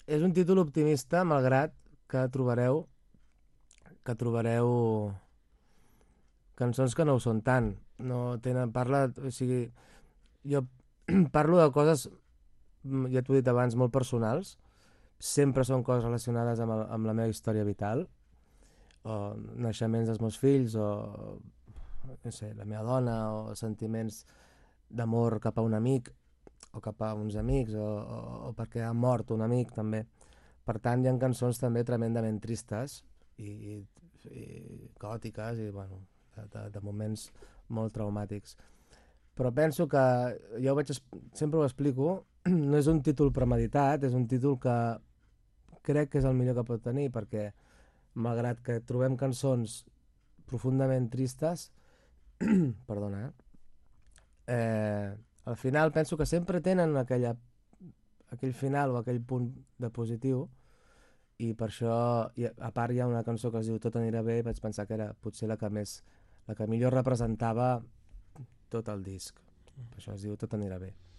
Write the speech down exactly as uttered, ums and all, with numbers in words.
és un títol optimista, malgrat que trobareu que trobareu cançons que no ho són tant. No tenen, parla, o sigui, jo parlo de coses, mm, ja t'ho he dit abans, molt personals. Sempre són coses relacionades amb, el, amb la meva història vital, o naixements dels meus fills, o no sé, la meva dona, o sentiments d'amor cap a un amic, o cap a uns amics, o, o, o perquè ha mort un amic, també. Per tant, hi ha cançons també tremendament tristes i, i, i gòtiques i, bueno, de, de, de moments molt traumàtics. Però penso que, jo ho vaig, sempre ho explico, no és un títol premeditat, és un títol que crec que és el millor que pot tenir, perquè malgrat que trobem cançons profundament tristes, perdona, eh? eh, al final penso que sempre tenen aquella, aquell final o aquell punt de positiu, i per això, i a part hi ha una cançó que es diu Tot anirà bé, i vaig pensar que era potser la que més, la que millor representava tot el disc. Per això es diu Tot anirà bé.